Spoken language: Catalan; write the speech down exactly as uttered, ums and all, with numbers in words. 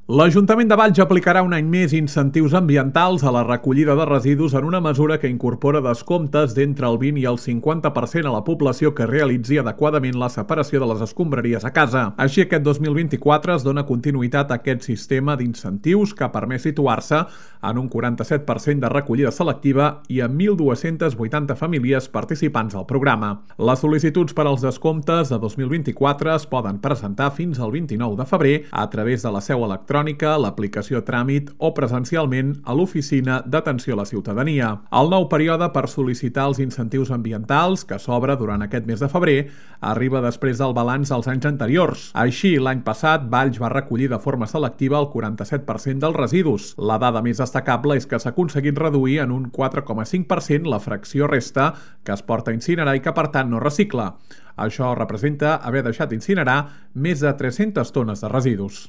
L'Ajuntament de Valls aplicarà un any més incentius ambientals a la recollida de residus en una mesura que incorpora descomptes d'entre el vint i el cinquanta per cent a la població que realitzi adequadament la separació de les escombraries a casa. Així, aquest dos mil vint-i-quatre es dona continuïtat a aquest sistema d'incentius que ha permès situar-se en un quaranta-set per cent de recollida selectiva i amb mil dues-centes vuitanta famílies participants al programa. Les sol·licituds per als descomptes de dos mil vint-i-quatre es poden presentar fins al vint-i-nou de febrer a través de la seu electrònica, l'aplicació Tràmit o presencialment a l'Oficina d'Atenció a la Ciutadania. El nou període per sol·licitar els incentius ambientals, que s'obre durant aquest mes de febrer, arriba després del balanç dels anys anteriors. Així, l'any passat, Valls va recollir de forma selectiva el quaranta-set per cent dels residus. La dada més destacable és que s'ha aconseguit reduir en un quatre coma cinc per cent la fracció resta que es porta a incinerar i que, per tant, no recicla. Això representa haver deixat incinerar més de tres-centes tones de residus.